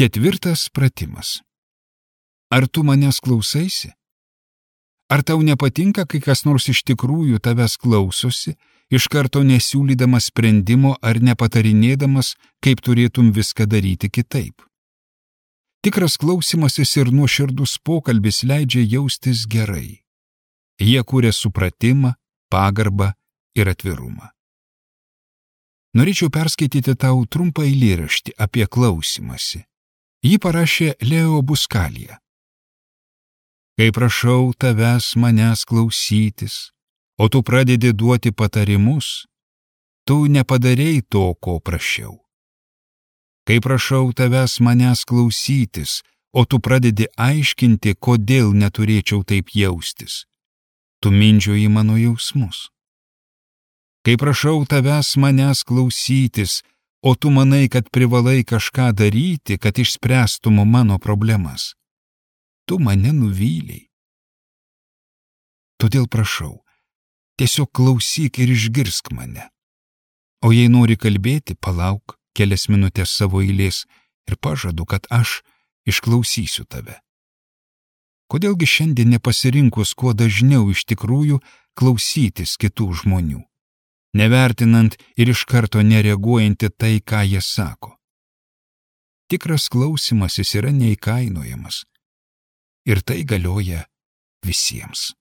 Ketvirtas pratimas. Ar tu manęs klausaisi? Ar tau nepatinka, kai kas nors iš tikrųjų tavęs klausosi, iš karto nesiūlydamas sprendimo ar nepatarinėdamas, kaip turėtum viską daryti kitaip? Tikras klausimasis ir nuoširdus pokalbis leidžia jaustis gerai. Jie kuria supratimą, pagarbą ir atvirumą. Norėčiau perskaityti tau trumpą eilėraštį apie klausimąsi. Jį parašė Leo Buscaglia. Kai prašau tavęs manęs klausytis, o tu pradedi duoti patarimus, tu nepadarei to, ko prašiau. Kai prašau tavęs manęs klausytis, o tu pradedi aiškinti, kodėl neturėčiau taip jaustis, tu mindžioji mano jausmus. Kai prašau tavęs manęs klausytis, o tu manai, kad privalai kažką daryti, kad išspręstum mano problemas, tu mane nuvylei. Todėl prašau, tiesiog klausyk ir išgirsk mane. O jei nori kalbėti, palauk kelias minutės savo eilės ir pažadu, kad aš išklausysiu tave. Kodėlgi šiandien nepasirinkus kuo dažniau iš tikrųjų klausytis kitų žmonių, nevertinant ir iš karto nereaguojant į tai, ką jie sako? Tikras klausimasis yra neįkainojamas. Ir tai galioja visiems.